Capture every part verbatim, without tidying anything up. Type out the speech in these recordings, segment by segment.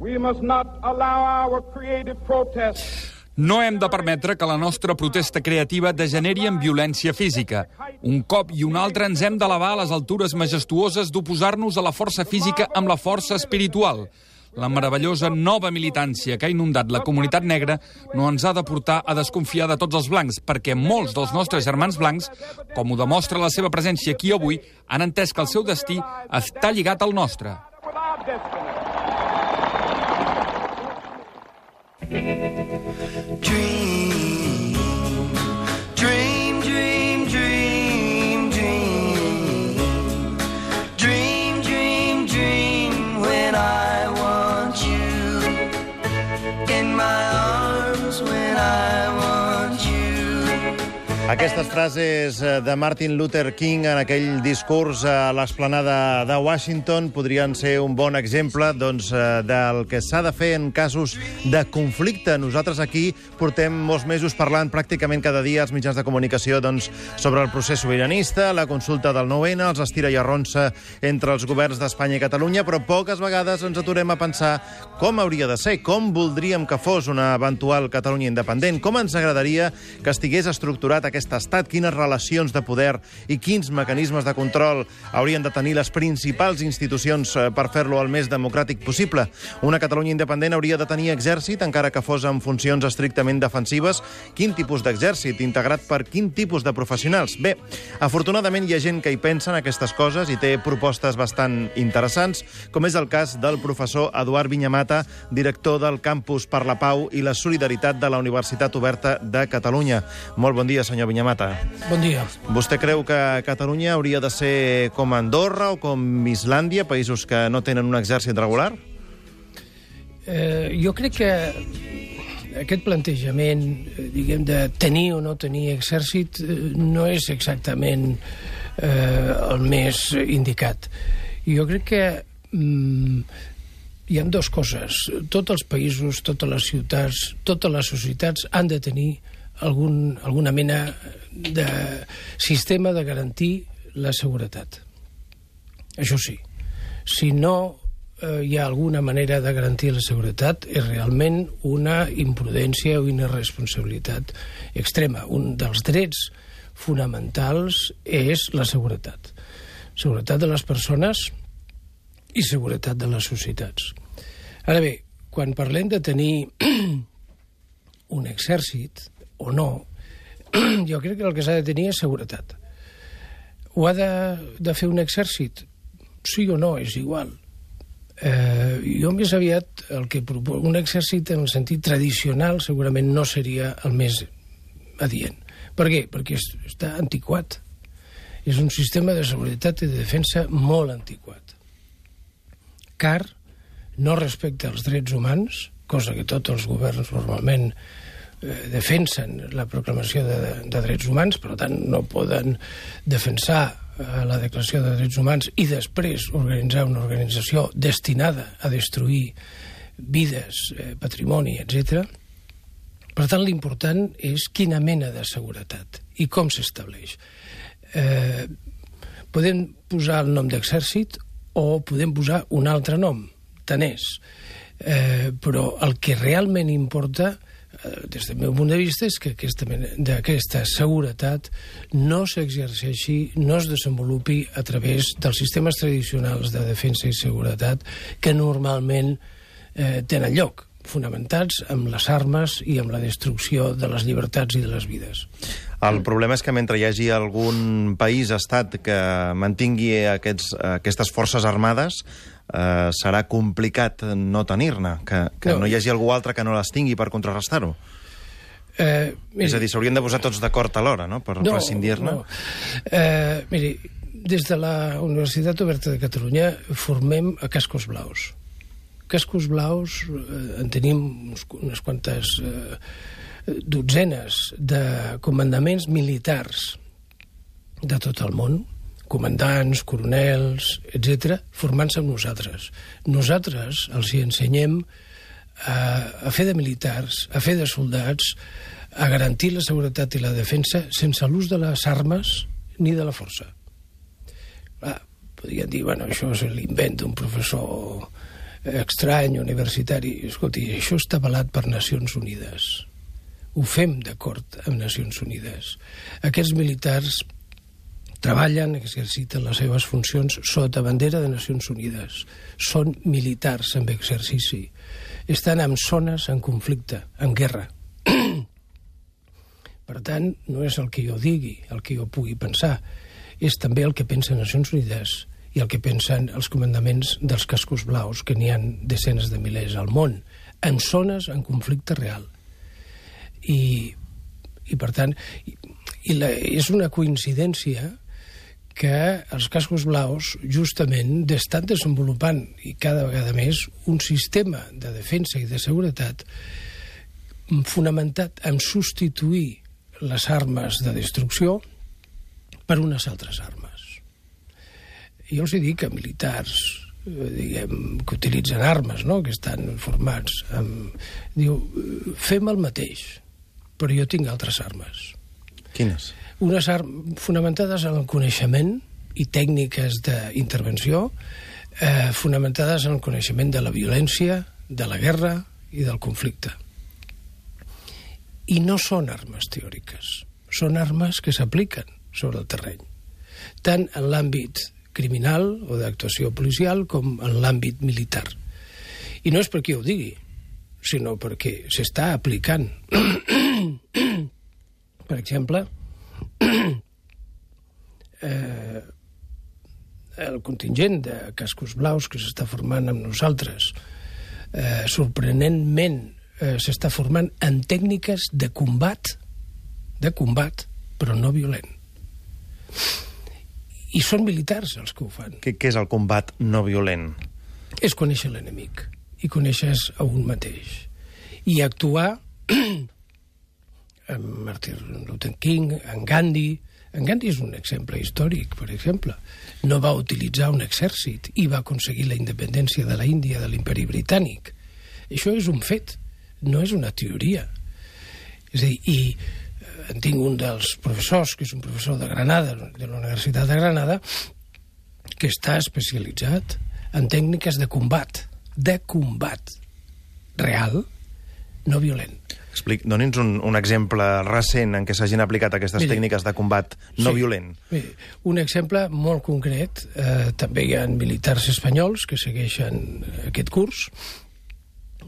We must not allow our creative protest. No hem de permetre que la nostra protesta creativa degeneri en violència física. Un cop i un altre ens hem d'elevar a les altures majestuoses d'oposar-nos a la força física amb la força espiritual. La meravellosa nova militància que ha inundat la comunitat negra no ens ha de portar a desconfiar de tots els blancs, perquè molts dels nostres germans blancs, com ho demostra la seva presència aquí avui, han entès que el seu destí està lligat al nostre. Dream, dream, dream, dream, dream. Dream, dream, dream when I want you in my arms when I want you. Aquestes frases de Martin Luther King en aquell discurs a l'esplanada de Washington podrien ser un bon exemple doncs, del que s'ha de fer en casos de conflicte. Nosaltres aquí portem molts mesos parlant pràcticament cada dia als mitjans de comunicació doncs, sobre el procés sobiranista, la consulta del nou ene, els estira i arronsa entre els governs d'Espanya i Catalunya, però poques vegades ens aturem a pensar com hauria de ser, com voldríem que fos una eventual Catalunya independent, com ens agradaria que estigués estructurat aquest estat, quines relacions de poder i quins mecanismes de control haurien de tenir les principals institucions per fer-lo el més democràtic possible. Una Catalunya independent hauria de tenir exèrcit, encara que fos en funcions estrictament defensives. Quin tipus d'exèrcit? Integrat per quin tipus de professionals? Bé, afortunadament hi ha gent que hi pensa en aquestes coses i té propostes bastant interessants, com és el cas del professor Eduard Viñamata, director del Campus per la Pau i la Solidaritat de la Universitat Oberta de Catalunya. Molt bon dia, senyor Viñamata. Bon dia. Vostè creu que Catalunya hauria de ser com Andorra o com Islàndia, països que no tenen un exèrcit regular? Eh, jo crec que aquest plantejament, diguem, de tenir o no tenir exèrcit no és exactament eh, el més indicat. Jo crec que mm, hi ha dues coses. Tots els països, totes les ciutats, totes les societats han de tenir algun, alguna mena de sistema de garantir la seguretat. Això sí, si no eh, hi ha alguna manera de garantir la seguretat, és realment una imprudència o una irresponsabilitat extrema. Un dels drets fonamentals és la seguretat. Seguretat de les persones i seguretat de les societats. Ara bé, quan parlem de tenir un exèrcit o no, jo crec que el que s'ha de tenir és seguretat. Ho ha de, de fer un exèrcit? Sí o no, és igual. Eh, jo més aviat el que propo... un exèrcit en el sentit tradicional segurament no seria el més adient. Per què? Perquè està antiquat. És un sistema de seguretat i de defensa molt antiquat. Car no respecta els drets humans, cosa que tots els governs normalment defensen la proclamació de, de drets humans, per tant no poden defensar eh, la declaració de drets humans i després organitzar una organització destinada a destruir vides, eh, patrimoni, etcètera. Per tant, l'important és quina mena de seguretat i com s'estableix. Eh, podem posar el nom d'exèrcit o podem posar un altre nom, tant és. Eh, però el que realment importa des del meu punt de vista és que aquesta, aquesta seguretat no s'exerceixi, no es desenvolupi a través dels sistemes tradicionals de defensa i seguretat que normalment eh, tenen lloc, fonamentats amb les armes i amb la destrucció de les llibertats i de les vides. El problema és que mentre hi hagi algun país, estat, que mantingui aquests, aquestes forces armades, eh, serà complicat no tenir-ne, que, que no. no hi hagi algú altre que no les tingui per contrarrestar-ho. Eh, miri, és a dir, s'haurien de posar tots d'acord alhora, no?, per no, prescindir-ne. No. Eh, miri, des de la Universitat Oberta de Catalunya formem a cascos blaus. Cascos blaus, eh, en tenim uns, unes quantes eh, dotzenes de comandaments militars de tot el món, comandants, coronels, etcètera, formant-se amb nosaltres. Nosaltres els hi ensenyem a, a fer de militars, a fer de soldats, a garantir la seguretat i la defensa sense l'ús de les armes ni de la força. Ah, podrien dir, bueno, això és l'invent d'un professor estrany, universitari. Escolti, això està avalat per Nacions Unides. Ho fem d'acord amb Nacions Unides. Aquests militars treballen, exerciten les seves funcions sota bandera de Nacions Unides. Són militars amb exercici. Estan en zones en conflicte, en guerra. Per tant, no és el que jo digui, el que jo pugui pensar. És també el que pensen Nacions Unides i el que pensen els comandaments dels cascos blaus, que n'hi ha desenes de milers al món, en zones en conflicte real. I, i per tant, i, i la, és una coincidència que els cascos blaus justament estan desenvolupant, i cada vegada més, un sistema de defensa i de seguretat fonamentat en substituir les armes de destrucció per unes altres armes. Jo els dic que militars diguem, que utilitzen armes, no?, que estan formats amb... Diu, fem el mateix, però jo tinc altres armes. Quines? Unes armes fonamentades en el coneixement i tècniques d'intervenció, eh, fonamentades en el coneixement de la violència, de la guerra i del conflicte. I no són armes teòriques, són armes que s'apliquen sobre el terreny, tant en l'àmbit criminal o d'actuació policial com en l'àmbit militar. I no és perquè ho digui, sinó perquè s'està aplicant. Per exemple, eh, el contingent de cascos blaus que s'està formant amb nosaltres, eh, sorprenentment eh, s'està formant en tècniques de combat, de combat, però no violent. I són militars els que ho fan. Què, què és el combat no violent? És conèixer l'enemic i coneixes a un mateix. I actuar en Martin Luther King, en Gandhi. En Gandhi és un exemple històric, per exemple. No va utilitzar un exèrcit i va aconseguir la independència de la Índia, de l'imperi britànic. Això és un fet, no és una teoria. És a dir, i en tinc un dels professors, que és un professor de Granada, de la Universitat de Granada, que està especialitzat en tècniques de combat, de combat real, no violent. Explic, doni'ns un, un exemple recent en què s'hagin aplicat aquestes miri, tècniques de combat no sí, violent. Miri, un exemple molt concret, eh, també hi ha militars espanyols que segueixen aquest curs,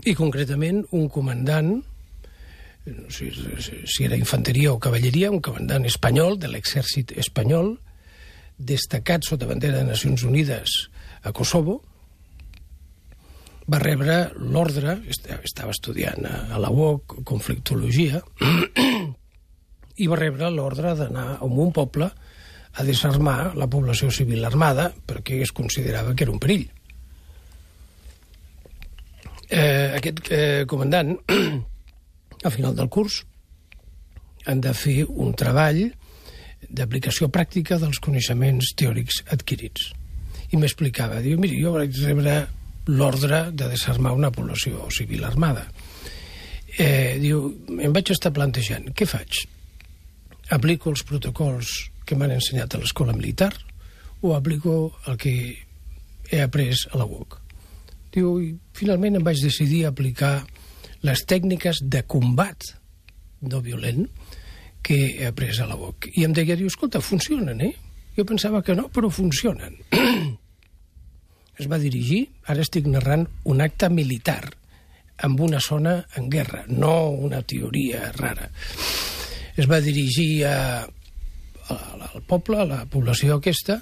i concretament un comandant, no sé si era infanteria o cavalleria, un comandant espanyol de l'exèrcit espanyol, destacat sota bandera de Nacions Unides a Kosovo, va rebre l'ordre, estava estudiant a la U O C conflictologia, i va rebre l'ordre d'anar a un poble a desarmar la població civil armada perquè es considerava que era un perill. Eh, aquest eh, comandant, al final del curs, han de fer un treball d'aplicació pràctica dels coneixements teòrics adquirits. I m'explicava, diu, miri, jo vaig rebre l'ordre de desarmar una població civil armada. Eh, diu, em vaig estar plantejant, què faig? Aplico els protocols que m'han ensenyat a l'escola militar o aplico el que he après a la U O C? Diu, i finalment em vaig decidir a aplicar les tècniques de combat no violent que he après a la U O C. I em deia, diu, escolta, funcionen, eh? Jo pensava que no, però funcionen. Es va dirigir, ara estic narrant un acte militar en una zona en guerra, no una teoria rara. Es va dirigir a, a, al poble, a la població aquesta,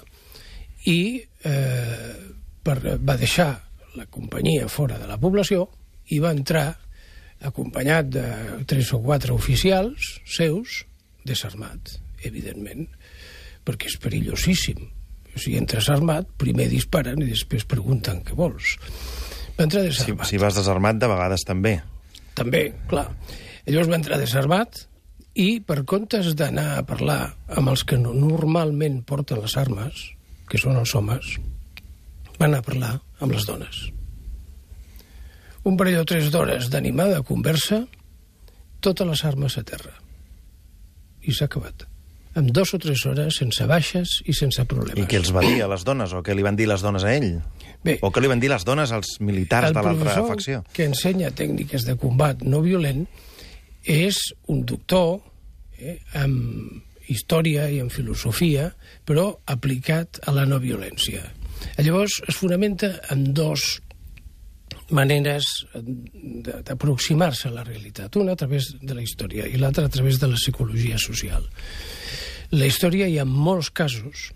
i eh, per, va deixar la companyia fora de la població i va entrar acompanyat de tres o quatre oficials seus, desarmat, evidentment, perquè és perillosíssim. Si entres armat, primer disparen i després pregunten què vols. Va entrar desarmat. Si, si vas desarmat, de vegades també. També, clar. Llavors va entrar desarmat i, per comptes d'anar a parlar amb els que no, normalment porten les armes, que són els homes, va anar a parlar amb les dones. Un parell o tres d'hores d'animada conversa, totes les armes a terra. I s'ha acabat. en dos o tres hores, sense baixes i sense problemes. I què els va dir a les dones? O què li van dir les dones a ell? Bé, o què li van dir les dones als militars de l'altra facció? El professor que ensenya tècniques de combat no violent és un doctor eh, amb història i en filosofia, però aplicat a la no violència. Llavors, es fonamenta en dos maneres d'aproximar-se a la realitat. Una a través de la història i l'altra a través de la psicologia social. En la història hi ha molts casos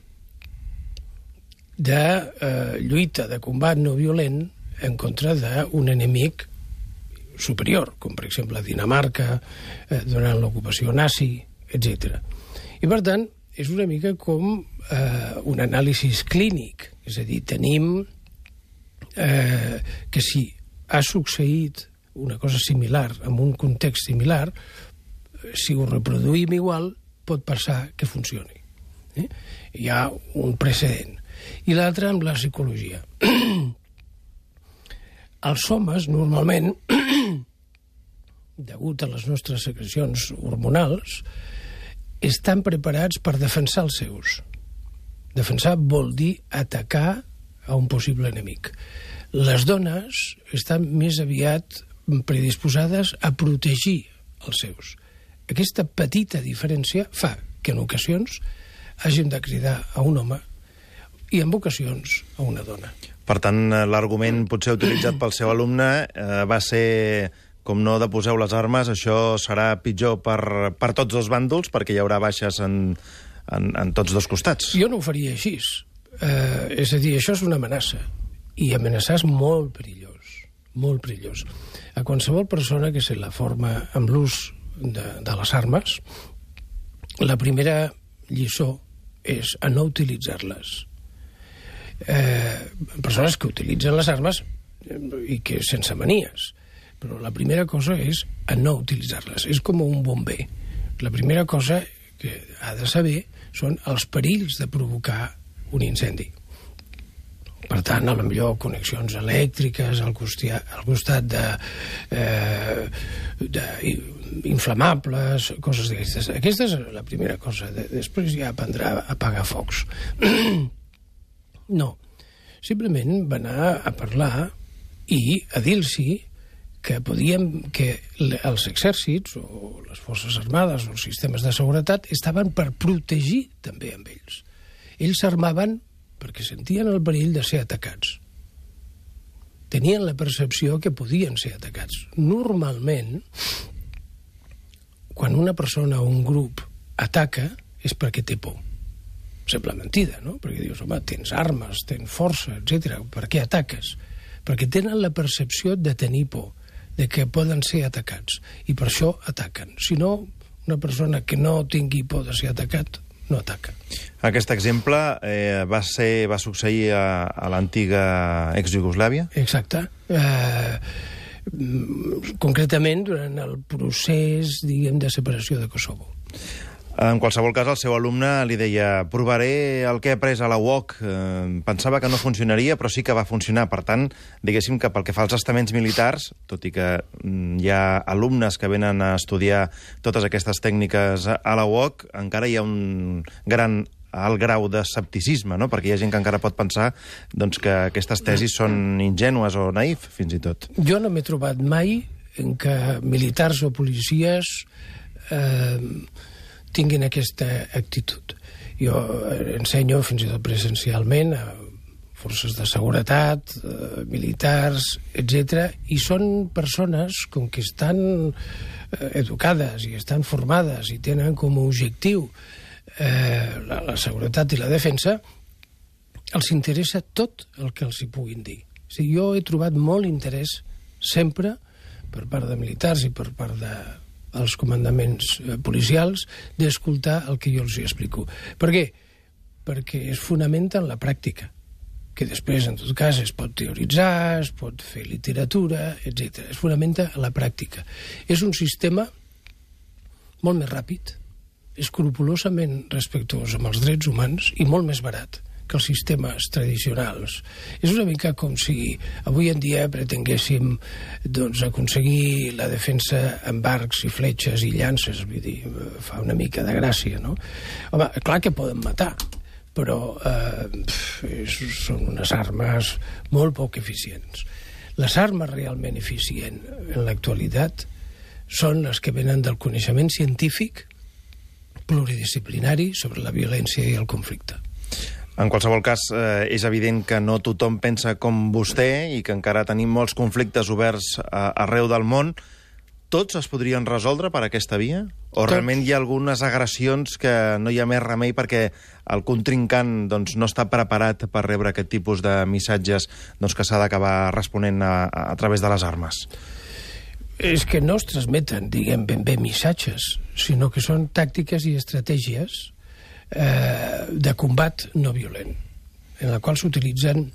de eh, lluita, de combat no violent en contra d'un enemic superior, com per exemple Dinamarca, eh, durant l'ocupació nazi, etcètera. I per tant, és una mica com eh, un anàlisi clínic, és a dir, tenim eh, que si ha succeït una cosa similar en un context similar, si ho reproduïm igual, pot passar que funcioni. Eh? Hi ha un precedent. I l'altre amb la psicologia. Els homes, normalment, degut a les nostres secrecions hormonals, estan preparats per defensar els seus. Defensar vol dir atacar a un possible enemic. Les dones estan més aviat predisposades a protegir els seus. Aquesta petita diferència fa que en ocasions hàgim de cridar a un home i en ocasions a una dona. Per tant, l'argument potser utilitzat pel seu alumne eh, va ser, com no de poseu les armes, això serà pitjor per, per tots dos bàndols, perquè hi haurà baixes en, en, en tots dos costats. Jo no ho faria així. Eh, és a dir, això és una amenaça. I amenaçar és molt perillós. Molt perillós. A qualsevol persona que se la forma amb l'ús de, de les armes, la primera lliçó és a no utilitzar-les. Eh, persones que utilitzen les armes i que sense manies, però la primera cosa és a no utilitzar-les. És com un bomber. La primera cosa que ha de saber són els perills de provocar un incendi. Per tant, a la millor connexions elèctriques al costat, al costat de, eh, de inflamables, coses d'aquestes. Aquesta és la primera cosa. Després ja aprendrà a apagar focs. No. Simplement va anar a parlar i a dir-los que podíem, que els exèrcits o les forces armades o els sistemes de seguretat estaven per protegir també amb ells. Ells s'armaven perquè sentien el perill de ser atacats. Tenien la percepció que podien ser atacats. Normalment, quan una persona o un grup ataca, és perquè té por. Sembla mentida, no? Perquè dius, home, tens armes, tens força, etcètera. Per què ataques? Perquè tenen la percepció de tenir por, de que poden ser atacats. I per això ataquen. Si no, una persona que no tingui por de ser atacat, no ataca. Aquest exemple eh, va, ser, va succeir a, a l'antiga ex-Iugoslàvia? Exacte. Eh, concretament durant el procés, diguem, de separació de Kosovo. En qualsevol cas, el seu alumne li deia provaré el que he après a la U O C. Eh, pensava que no funcionaria, però sí que va funcionar. Per tant, diguéssim que pel que fa als estaments militars, tot i que mm, hi ha alumnes que venen a estudiar totes aquestes tècniques a la U O C, encara hi ha un gran alt grau d'escepticisme, no? Perquè hi ha gent que encara pot pensar doncs, que aquestes tesis són ingènues o naïf, fins i tot. Jo no m'he trobat mai en què militars o policies eh, tinguin aquesta actitud. Jo ensenyo fins i tot presencialment a forces de seguretat, eh, militars, etcètera, i són persones com que estan eh, educades i estan formades i tenen com a objectiu eh, la, la seguretat i la defensa, els interessa tot el que els hi puguin dir. O sigui, jo he trobat molt interès sempre per part de militars i per part de els comandaments policials d'escoltar el que jo els explico. Per què? Perquè es fonamenta en la pràctica, que després, en tot cas, es pot teoritzar, es pot fer literatura, etcètera. Es fonamenta en la pràctica. És un sistema molt més ràpid, escrupolosament respectuós amb els drets humans i molt més barat. que els sistemes tradicionals. És una mica com si avui en dia pretenguéssim doncs, aconseguir la defensa amb arcs i fletxes i llances, vull dir, fa una mica de gràcia, no? Home, clar que poden matar, però eh, són unes armes molt poc eficients. Les armes realment eficients en l'actualitat són les que venen del coneixement científic pluridisciplinari sobre la violència i el conflicte. En qualsevol cas, eh, és evident que no tothom pensa com vostè i que encara tenim molts conflictes oberts a, arreu del món. Tots es podrien resoldre per aquesta via? O Tots. Realment hi ha algunes agressions que no hi ha més remei perquè el contrincant doncs, no està preparat per rebre aquest tipus de missatges doncs, que s'ha d'acabar responent a, a través de les armes? És que no es transmeten, diguem, ben bé missatges, sinó que són tàctiques i estratègies eh, de combat no violent, en la qual s'utilitzen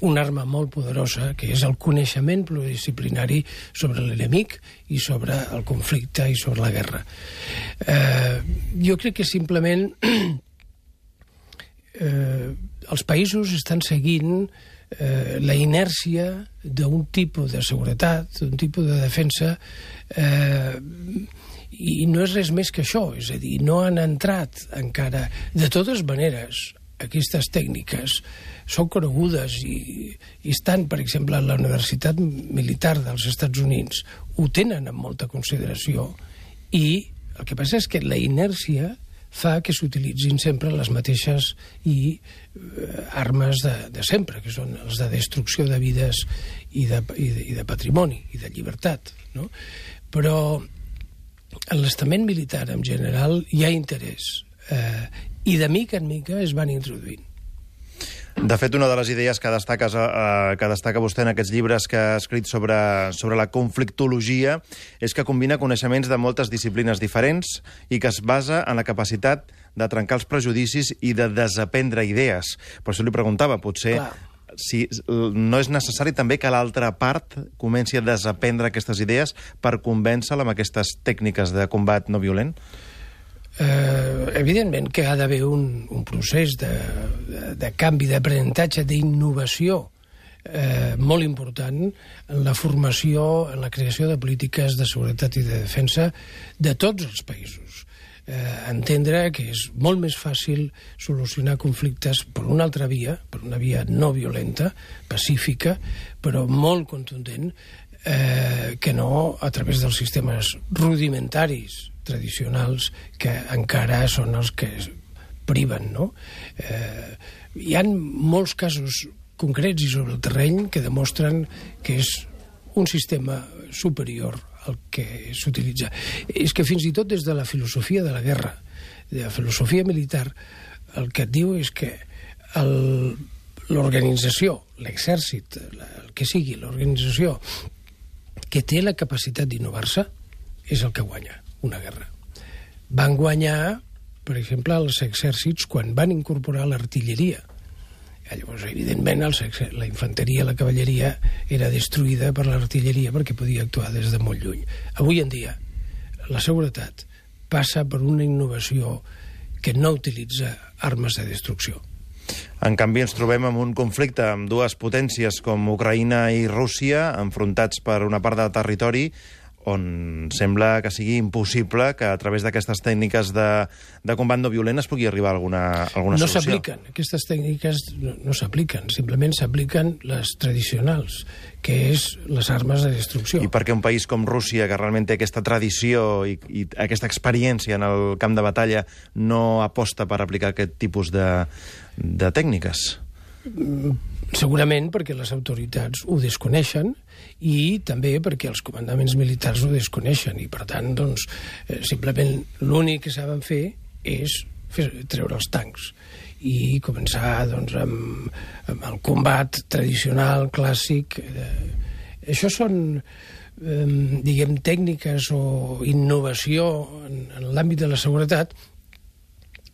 una arma molt poderosa, que és el coneixement pluridisciplinari sobre l'enemic i sobre el conflicte i sobre la guerra. Eh, jo crec que simplement eh, els països estan seguint eh, la inèrcia d'un tipus de seguretat, d'un tipus de defensa, eh, i no és res més que això, és a dir, no han entrat encara. De totes maneres, aquestes tècniques són conegudes i, i estan, per exemple, a la Universitat Militar dels Estats Units, ho tenen amb molta consideració, i el que passa és que la inèrcia fa que s'utilitzin sempre les mateixes i eh, armes de, de sempre, que són els de destrucció de vides i de, i de, i de patrimoni i de llibertat, no? Però en l'estament militar en general hi ha interès eh, i de mica en mica es van introduint. De fet, una de les idees que, destaques, eh, que destaca vostè en aquests llibres que ha escrit sobre, sobre la conflictologia és que combina coneixements de moltes disciplines diferents i que es basa en la capacitat de trencar els prejudicis i de desaprendre idees. Per això li preguntava, potser Clar. si no és necessari també que l'altra part comenci a desaprendre aquestes idees per convèncer-la amb aquestes tècniques de combat no violent? Eh, evidentment que ha d'haver un, un procés de, de, de canvi, d'aprenentatge, d'innovació eh, molt important en la formació, en la creació de polítiques de seguretat i de defensa de tots els països. Eh, entendre que és molt més fàcil solucionar conflictes per una altra via, per una via no violenta, pacífica, però molt contundent, eh, que no a través dels sistemes rudimentaris tradicionals que encara són els que priven, no? Eh, hi ha molts casos concrets i sobre el terreny que demostren que és un sistema superior al que s'utilitza. És que fins i tot des de la filosofia de la guerra, de la filosofia militar, el que et diu és que el, l'organització, l'exèrcit, el que sigui, l'organització que té la capacitat d'innovar-se és el que guanya una guerra. Van guanyar, per exemple, els exèrcits quan van incorporar l'artilleria. Llavors, evidentment, els, la infanteria, la cavalleria era destruïda per l'artilleria perquè podia actuar des de molt lluny. Avui en dia, la seguretat passa per una innovació que no utilitza armes de destrucció. En canvi, ens trobem amb un conflicte amb dues potències com Ucraïna i Rússia, enfrontats per una part del territori on sembla que sigui impossible que a través d'aquestes tècniques de, de combat no violent es pugui arribar a alguna, alguna no solució. No s'apliquen, aquestes tècniques no, no s'apliquen, simplement s'apliquen les tradicionals, que és les armes de destrucció. I per què un país com Rússia, que realment té aquesta tradició i, i aquesta experiència en el camp de batalla, no aposta per aplicar aquest tipus de, de tècniques? Segurament perquè les autoritats ho desconeixen i també perquè els comandaments militars ho desconeixen i, per tant, doncs, eh, simplement l'únic que saben fer és fer, treure els tancs i començar doncs, amb, amb el combat tradicional, clàssic. Eh, això són, eh, diguem, tècniques o innovació en, en l'àmbit de la seguretat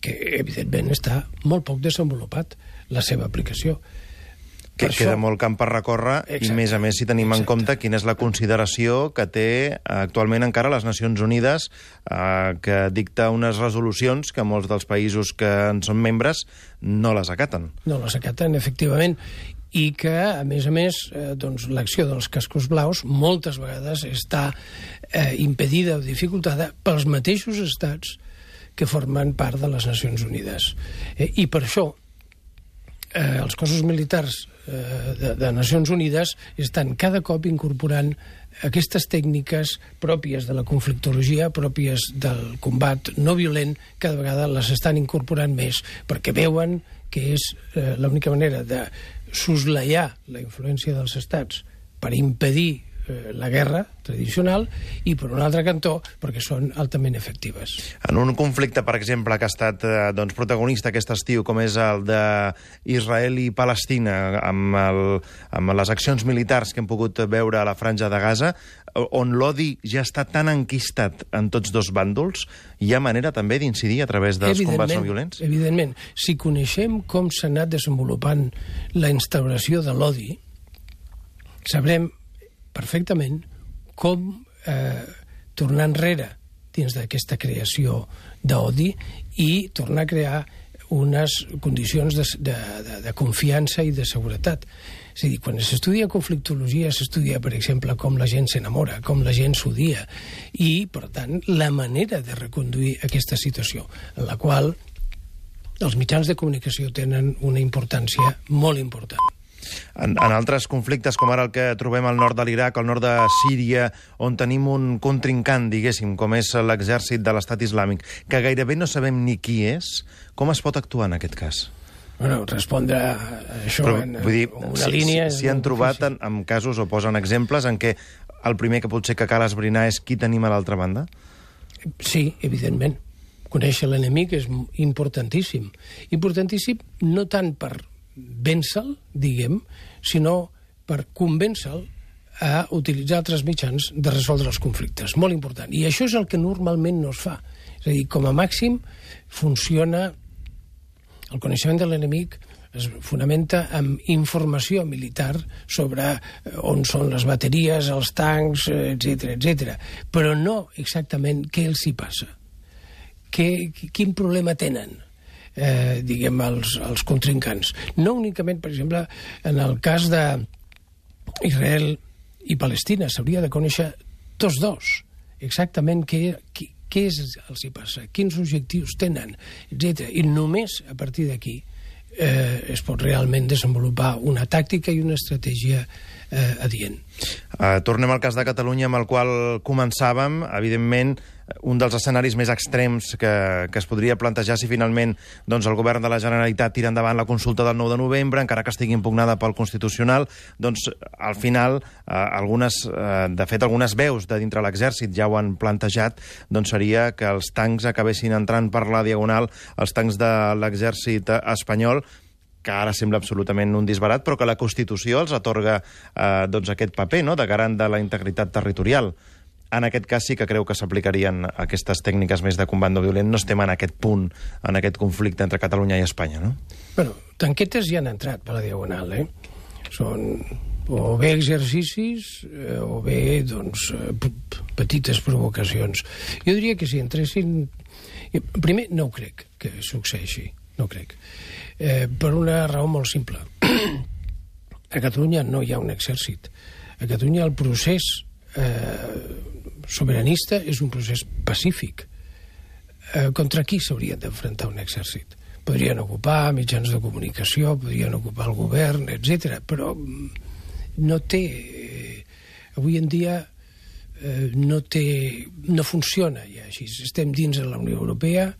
que, evidentment, està molt poc desenvolupat la seva aplicació. Que queda molt camp per recórrer. Exacte. I, més a més, si tenim Exacte. en compte quina és la consideració que té actualment encara les Nacions Unides, eh, que dicta unes resolucions que molts dels països que en són membres no les acaten. No les acaten, efectivament, i que, a més a més, eh, doncs, l'acció dels cascos blaus moltes vegades està eh, impedida o dificultada pels mateixos estats que formen part de les Nacions Unides. Eh, I per això eh, els cossos militars eh, de, de Nacions Unides estan cada cop incorporant aquestes tècniques pròpies de la conflictologia, pròpies del combat no violent, cada vegada les estan incorporant més, perquè veuen que és eh, l'única manera de soslaiar la influència dels estats per impedir eh, la guerra tradicional i, per un altre cantó, perquè són altament efectives. En un conflicte, per exemple, que ha estat eh, doncs, protagonista aquest estiu, com és el d'Israel i Palestina, amb, el, amb les accions militars que hem pogut veure a la Franja de Gaza, on l'odi ja està tan enquistat en tots dos bàndols, hi ha manera també d'incidir a través dels combats no violents? Evidentment. Si coneixem com s'ha anat desenvolupant la instauració de l'odi, sabrem perfectament com eh, tornar enrere dins d'aquesta creació d'odi i tornar a crear unes condicions de, de, de, de confiança i de seguretat. És a dir, quan s'estudia conflictologia, s'estudia, per exemple, com la gent s'enamora, com la gent s'odia, i, per tant, la manera de reconduir aquesta situació, en la qual els mitjans de comunicació tenen una importància molt important. En, en altres conflictes, com ara el que trobem al nord de l'Iraq, al nord de Síria, on tenim un contrincant, diguéssim, com és l'exèrcit de l'Estat Islàmic, que gairebé no sabem ni qui és, com es pot actuar en aquest cas? Bueno, respondre a això Però, en vull dir, una si, línia... Si, si han trobat en, en casos o posen exemples en què el primer que potser que cal esbrinar és qui tenim a l'altra banda? Sí, evidentment. Conèixer l'enemic és importantíssim. Importantíssim no tant per vèncer-lo, diguem, sinó per convèncer-lo a utilitzar altres mitjans de resoldre els conflictes. Molt important. I això és el que normalment no es fa. És a dir, com a màxim funciona... El coneixement de l'enemic es fonamenta en informació militar sobre on són les bateries, els tancs, etcètera, etcètera, però no exactament què els hi passa. Que, quin problema tenen, eh, diguem, els, els contrincants. No únicament, per exemple, en el cas d'Israel i Palestina, s'hauria de conèixer tots dos, exactament què, què, què és, els hi passa, quins objectius tenen, etcètera. I només a partir d'aquí eh, es pot realment desenvolupar una tàctica i una estratègia eh, adient. Uh, tornem al cas de Catalunya, amb el qual començàvem. Evidentment, un dels escenaris més extrems que, que es podria plantejar si finalment doncs, el govern de la Generalitat tira endavant la consulta del nou de novembre, encara que estigui impugnada pel Constitucional, doncs al final, eh, algunes, eh, de fet, algunes veus de dintre l'exèrcit ja ho han plantejat, doncs seria que els tancs acabessin entrant per la diagonal, els tancs de l'exèrcit espanyol, que ara sembla absolutament un disbarat, però que la Constitució els atorga eh, doncs aquest paper, no?, de garant de la integritat territorial. En aquest cas sí que creu que s'aplicarien aquestes tècniques més de combat no violent. No estem en aquest punt, en aquest conflicte entre Catalunya i Espanya, no? Bueno, tanquetes ja han entrat per la diagonal, eh? Són o bé exercicis eh, o bé, doncs, petites provocacions. Jo diria que si entressin... Primer, no ho crec que succeeixi, no ho crec. Eh, per una raó molt simple. A Catalunya no hi ha un exèrcit. A Catalunya el procés eh, sobiranista és un procés pacífic. Eh, contra qui s'hauria d'enfrontar un exèrcit? Podrien ocupar mitjans de comunicació, podrien ocupar el govern, etcètera, però no té... Eh, avui en dia eh, no té... no funciona ja així. Estem dins de la Unió Europea,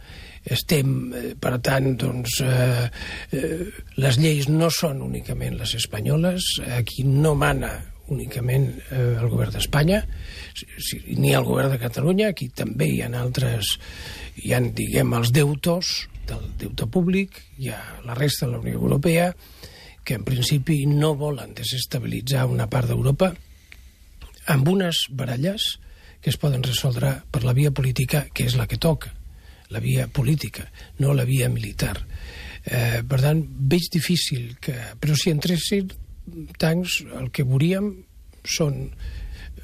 estem, eh, per tant, doncs, eh, eh, les lleis no són únicament les espanyoles, aquí no mana únicament eh, el govern d'Espanya, si, ni el govern de Catalunya, aquí també hi ha altres, hi ha, diguem, els deutors del deute públic, hi ha la resta de la Unió Europea, que en principi no volen desestabilitzar una part d'Europa amb unes baralles que es poden resoldre per la via política, que és la que toca, la via política, no la via militar. Eh, per tant, veig difícil que... Però si entressin, tancs el que veuríem són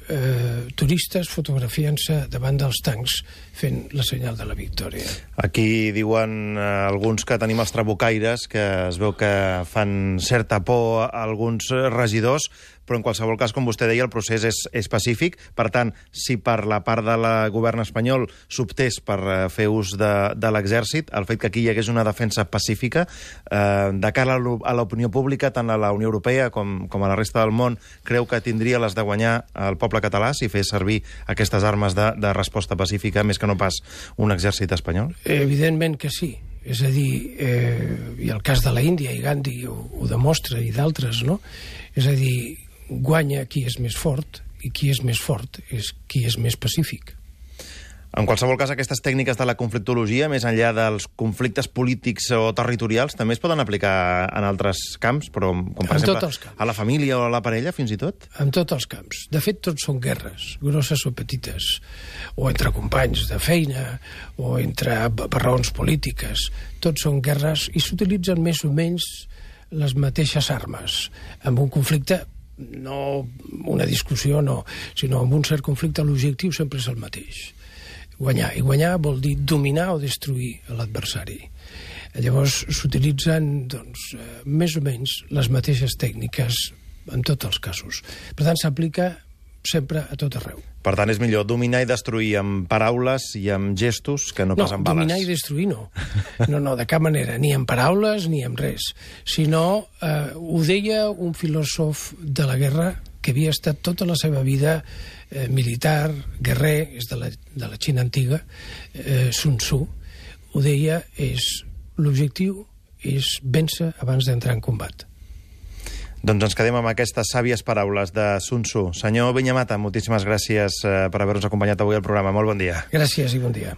eh, turistes fotografiant-se davant dels tancs fent la senyal de la victòria. Aquí diuen eh, alguns que tenim els trabucaires, que es veu que fan certa por a alguns regidors, però en qualsevol cas, com vostè deia, el procés és, és pacífic. Per tant, si per la part del govern espanyol s'optés per eh, fer ús de, de l'exèrcit, el fet que aquí hi hagués una defensa pacífica, eh, de cara a l'opinió pública, tant a la Unió Europea com, com a la resta del món, creu que tindria les de guanyar el poble català si fes servir aquestes armes de, de resposta pacífica, més que no pas un exèrcit espanyol? Evidentment que sí. És a dir, eh, i el cas de la Índia, i Gandhi ho, ho demostra, i d'altres, no? És a dir, guanya qui és més fort, i qui és més fort és qui és més pacífic. En qualsevol cas, aquestes tècniques de la conflictologia, més enllà dels conflictes polítics o territorials, també es poden aplicar en altres camps, però com per En exemple tots els camps. a la família o a la parella, fins i tot? En tots els camps. De fet, tots són guerres, grosses o petites, o entre companys de feina, o entre per raons polítiques. Tots són guerres i s'utilitzen més o menys les mateixes armes. En un conflicte, no una discussió, no, sinó en un cert conflicte l'objectiu sempre és el mateix. Guanyar. I guanyar vol dir dominar o destruir l'adversari. Llavors s'utilitzen doncs, més o menys les mateixes tècniques en tots els casos. Per tant, s'aplica sempre a tot arreu. Per tant, és millor dominar i destruir amb paraules i amb gestos que no, No, pas amb bales. dominar i destruir no. No, no, de cap manera, ni amb paraules ni amb res. Sinó, eh, ho deia un filòsof de la guerra que havia estat tota la seva vida eh, militar, guerrer, és de la, de la Xina antiga, eh, Sun Tzu, ho deia, és l'objectiu és vèncer abans d'entrar en combat. Doncs ens quedem amb aquestes sàvies paraules de Sun Tzu. Senyor Viñamata, moltíssimes gràcies eh, per haver-nos acompanyat avui al programa. Molt bon dia. Gràcies i bon dia.